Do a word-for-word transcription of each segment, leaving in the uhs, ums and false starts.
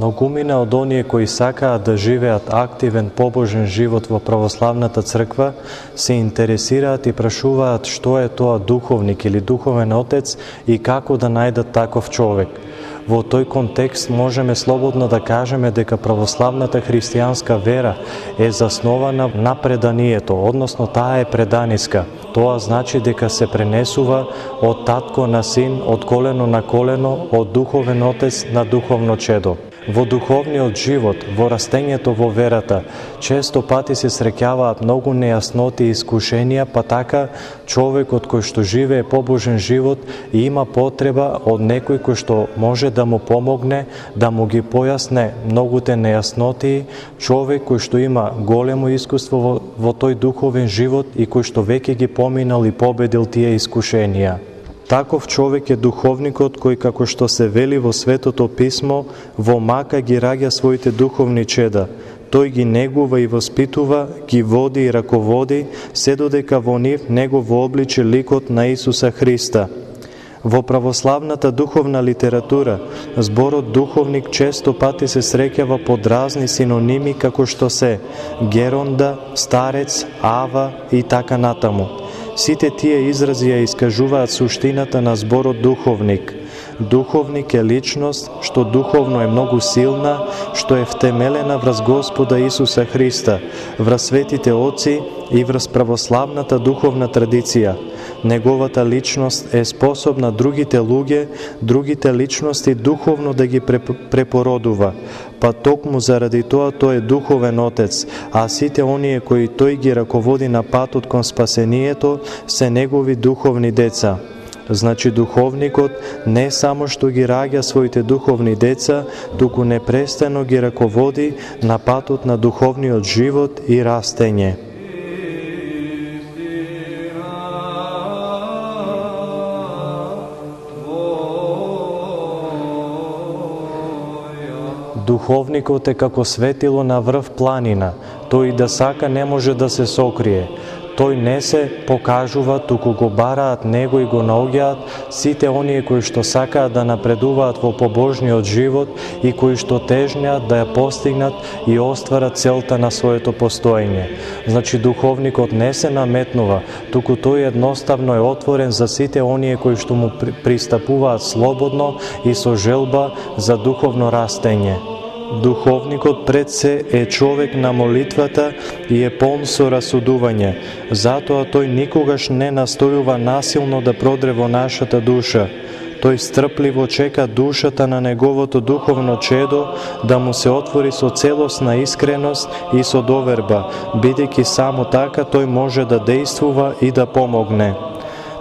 Многумина од оние кои сакаат да живеат активен побожен живот во православната црква се интересираат и прашуваат што е тоа духовник или духовен отец и како да најдат таков човек. Во тој контекст можеме слободно да кажеме дека православната христијанска вера е заснована на преданието, односно таа е преданиска. Тоа значи дека се пренесува од татко на син, од колено на колено, од духовен отец на духовно чедо. Во духовниот живот, во растењето во верата, често пати се среќаваат многу нејасноти и искушенија, па така човекот кој што живее побожен живот и има потреба од некој кој што може да му помогне, да му ги појасне многуте нејасноти, човек кој што има големо искуство во, во тој духовен живот и кој што веќе ги поминал и победил тие искушенија. Таков човек е духовникот кој, како што се вели во Светото Писмо, во мака ги раѓа своите духовни чеда. Тој ги негува и воспитува, ги води и раководи, се додека во нив не го вообличи ликот на Исуса Христа. Во православната духовна литература, зборот духовник често пати се среќава под разни синоними како што се геронда, старец, ава и така натаму. Сите тие изрази ја искажуваат суштината на зборот духовник. Духовник е личност што духовно е многу силна, што е втемелена врз Господа Исуса Христа, врз светите оци и врз православната духовна традиција. Неговата личност е способна другите луѓе, другите личности духовно да ги препородува. Па токму заради тоа тој е духовен отец, а сите оние кои тој ги раководи на патот кон спасението се негови духовни деца. Значи духовникот не само што ги раѓа своите духовни деца, туку непрестано ги раководи на патот на духовниот живот и растење. Духовникот е како светило на врв планина, тој да сака не може да се сокрие. Тој не се покажува, туку го бараат него и го наоѓаат сите оние кои што сакаат да напредуваат во побожниот живот и кои што тежнеат да ја постигнат и остварат целта на своето постоење. Значи духовникот не се наметнува, туку тој едноставно е отворен за сите оние кои што му пристапуваат слободно и со желба за духовно растење. Духовникот пред се е човек на молитвата и е полн со расудување. Затоа тој никогаш не настојува насилно да продре во нашата душа. Тој стрпливо чека душата на неговото духовно чедо да му се отвори со целосна искреност и со доверба, бидејќи само така тој може да действува и да помогне.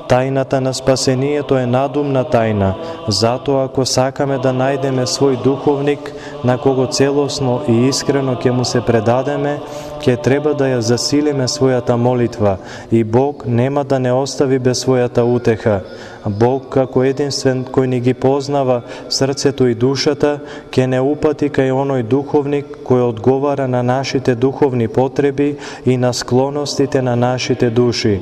Тајната на спасението е надумна тајна, затоа ако сакаме да најдеме свој духовник на кого целосно и искрено ќе му се предадеме, ќе треба да ја засилиме својата молитва и Бог нема да не остави без својата утеха. Бог како единствен кој ни ги познава срцето и душата, ќе не упати кај оној духовник кој одговара на нашите духовни потреби и на склоностите на нашите души.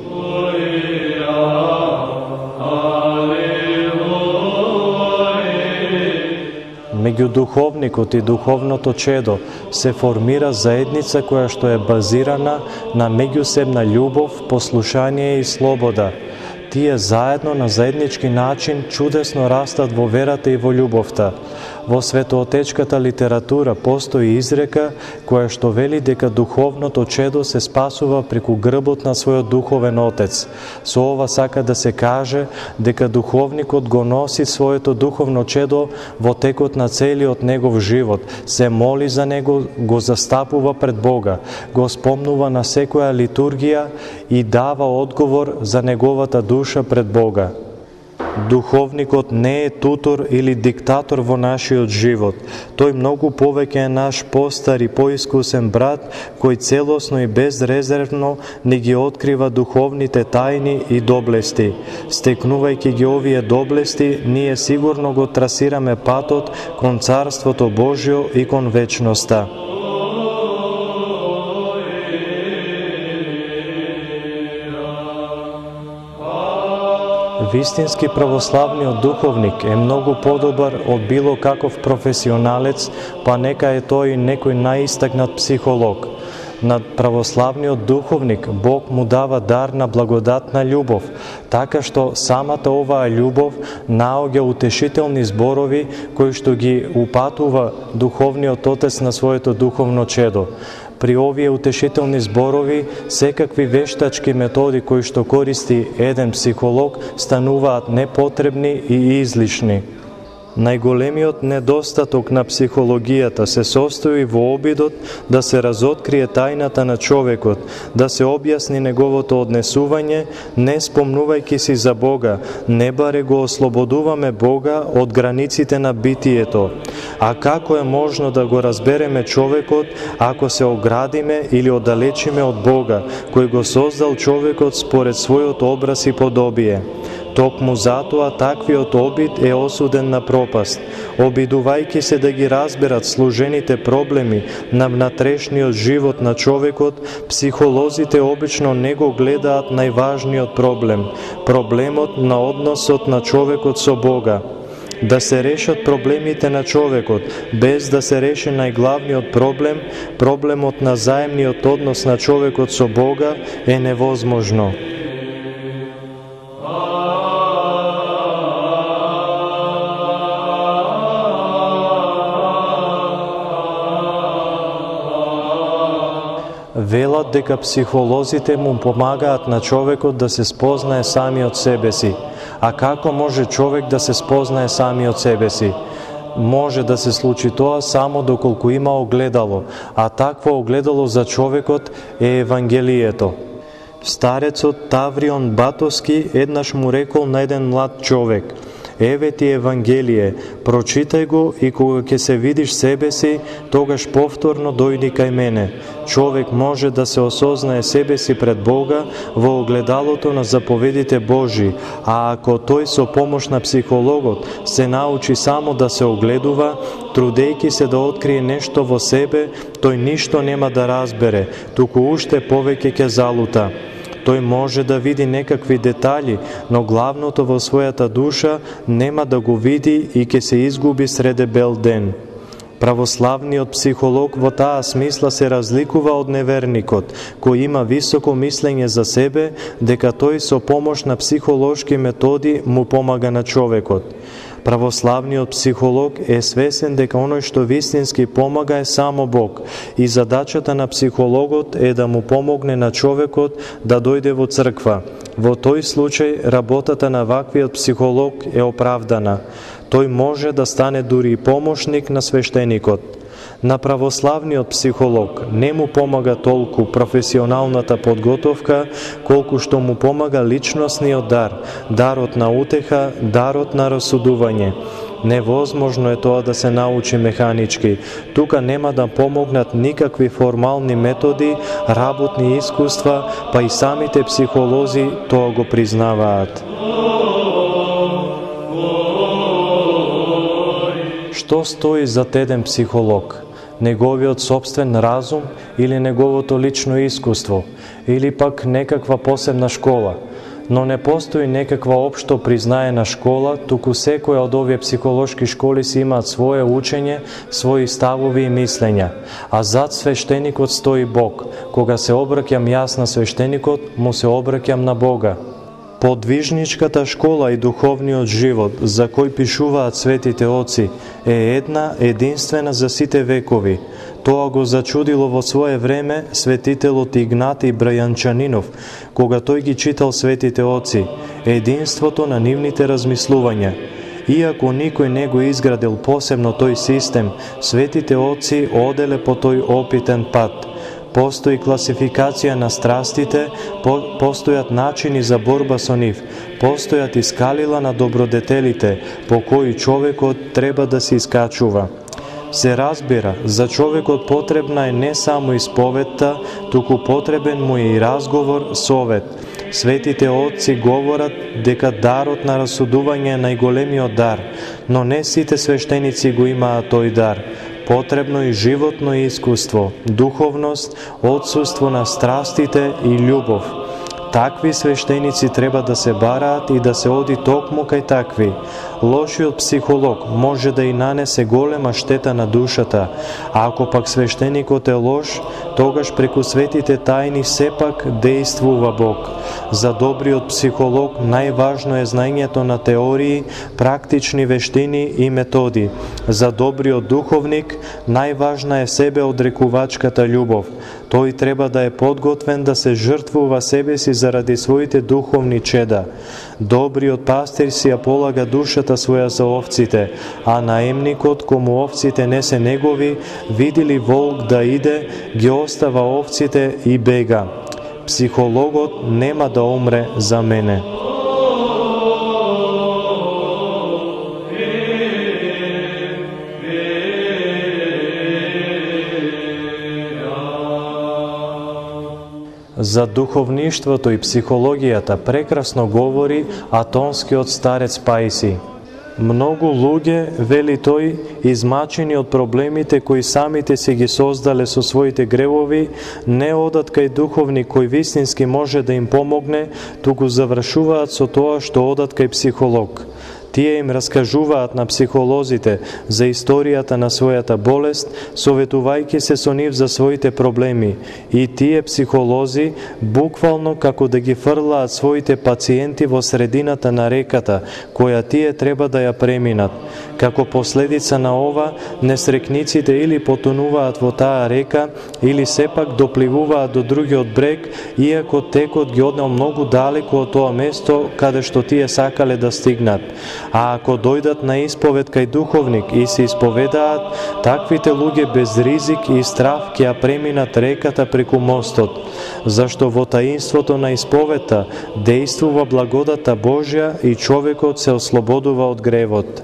Меѓу духовникот и духовното чедо се формира заедница која што е базирана на меѓусебна љубов, послушание и слобода. Тие заедно на заеднички начин чудесно растат во верата и во љубовта. Во светоотечката литература постои изрека која што вели дека духовното чедо се спасува преку грбот на својот духовен отец. Со ова сака да се каже дека духовникот го носи своето духовно чедо во текот на целиот негов живот, се моли за него, го застапува пред Бога, го спомнува на секоја литургија и дава одговор за неговата душа пред Бога. Духовникот не е тутор или диктатор во нашиот живот. Тој многу повеќе е наш постар и поискусен брат, кој целосно и безрезервно ни ги открива духовните тајни и доблести. Стекнувајќи ги овие доблести, ние сигурно го трасираме патот кон Царството Божјо и кон вечноста. Вистински православниот духовник е многу подобар од било каков професионалец, па нека е тој некој најистакнат психолог. На православниот духовник Бог му дава дар на благодатна љубов, така што самата оваа љубов наоѓа утешителни зборови кои што ги упатува духовниот отец на своето духовно чедо. При овие утешителни зборови, секакви вештачки методи кои што користи еден психолог стануваат непотребни и излишни. Најголемиот недостаток на психологијата се состои во обидот да се разоткрие тајната на човекот, да се објасни неговото однесување, не спомнувајќи си за Бога, не баре го ослободуваме Бога од границите на битието. А како е можно да го разбереме човекот ако се оградиме или оддалечиме од Бога, кој го создал човекот според својот образ и подобие? Токму затоа таквиот обид е осуден на пропаст. Обидувајќи се да ги разберат служените проблеми на внатрешниот живот на човекот, психолозите обично не го гледаат најважниот проблем, проблемот на односот на човекот со Бога. Да се решат проблемите на човекот, без да се реши најглавниот проблем, проблемот на заемниот однос на човекот со Бога, е невозможно. Велат дека психолозите му помагаат на човекот да се спознае самиот себе си. А како може човек да се спознае самиот себе си? Може да се случи тоа само доколку има огледало, а такво огледало за човекот е Евангелието. Старецот Таврион Батоски еднаш му рекол на еден млад човек: еве ти Евангелие, прочитај го и кога ќе се видиш себе си, тогаш повторно дојди кај мене. Човек може да се осознае себе си пред Бога во огледалото на заповедите Божи, а ако тој со помош на психологот се научи само да се огледува, трудејќи се да открие нешто во себе, тој ништо нема да разбере, туку уште повеќе ќе залута. Тој може да види некакви детали, но главното во својата душа нема да го види и ќе се изгуби среде бел ден. Православниот психолог во таа смисла се разликува од неверникот, кој има високо мислење за себе, дека тој со помош на психолошки методи му помага на човекот. Православниот психолог е свесен дека оној што вистински помага е само Бог и задачата на психологот е да му помогне на човекот да дојде во црква. Во тој случај работата на ваквиот психолог е оправдана. Тој може да стане дури и помошник на свештеникот. На православниот психолог не му помага толку професионалната подготовка, колку што му помага личностниот дар, дарот на утеха, дарот на расудување. Невозможно е тоа да се научи механички. Тука нема да помогнат никакви формални методи, работни искуства, па и самите психолози тоа го признаваат. Што стои зад еден психолог? Неговиот собствен разум или неговото лично искуство, или пак некаква посебна школа? Но не постои некаква општо признаена школа, туку секоја од овие психолошки школи си имаат свое учење, своји ставови и мислења. А зад свештеникот стои Бог. Кога се обраќам јас на свештеникот, му се обраќам на Бога. Подвижничката школа и духовниот живот, за кој пишуваат светите оци, е една единствена за сите векови. Тоа го зачудило во свое време светителот Игнатий Брајанчанинов, кога тој ги читал светите оци, единството на нивните размислувања. Иако никој не го изградил посебно тој систем, светите оци оделе по тој опитен пат. Постои класификација на страстите, по, постојат начини за борба со нив, постојат и скалила на добродетелите, по кои човекот треба да се искачува. Се разбира, за човекот потребна е не само исповетта, туку потребен му е и разговор, совет. Светите отци говорат дека дарот на расудување е најголемиот дар, но не сите свештеници го имаат тој дар. Потребно и животно искуство, духовност, отсуство на страстите и љубов. Такви свештеници треба да се бараат и да се оди токму кај такви. Лошиот психолог може да и нанесе голема штета на душата, а ако пак свештеникот е лош, тогаш преку светите тајни сепак дејствува Бог. За добриот психолог најважно е знаењето на теории, практични вештини и методи. За добриот духовник најважна е себеодрекувачката љубов. Тој треба да е подготвен да се жртвува себе си заради своите духовни чеда. Добриот пастир си ја полага душата своја за овците, а наемникот, кому овците не се негови, види ли волк да иде, ги остава овците и бега. Психологот нема да умре за мене. За духовништвото и психологијата прекрасно говори атонскиот старец Паиси. Многу луѓе, вели тој, измачени од проблемите кои самите си ги создале со своите гревови, не одат кај духовник кој вистински може да им помогне, туку завршуваат со тоа што одат кај психолог. Тие им раскажуваат на психолозите за историјата на својата болест, советувајќи се со нив за своите проблеми. И тие психолози буквално како да ги фрлаат своите пациенти во средината на реката, која тие треба да ја преминат. Како последица на ова, несрекниците или потонуваат во таа река, или сепак допливуваат до другиот брег, иако текот ги однел многу далеку од тоа место каде што тие сакале да стигнат. А ако дојдат на исповед кај духовник и се исповедаат, таквите луѓе без ризик и страв ќе ја преминат реката преку мостот, зашто во таинството на исповедта дејствува благодата Божја и човекот се ослободува од гревот.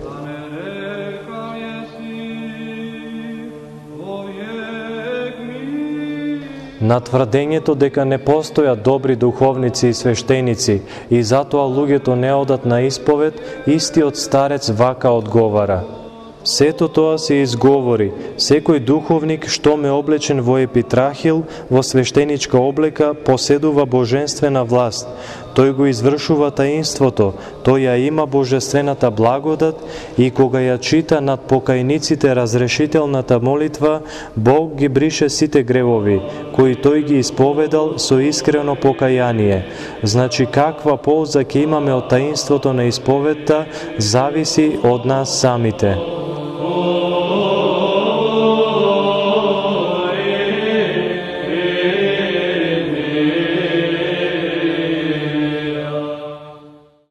На тврдењето дека не постојат добри духовници и свештеници и затоа луѓето не одат на исповед, истиот старец вака одговара: сето тоа се изговори. Секој духовник што ме облечен во епитрахил, во свештеничка облека, поседува божествена власт. Тој го извршува таинството, тој ја има божествената благодат и кога ја чита над покајниците разрешителната молитва, Бог ги брише сите гревови, кои тој ги исповедал со искрено покаяние. Значи каква полза ќе имаме од таинството на исповедта, зависи од нас самите.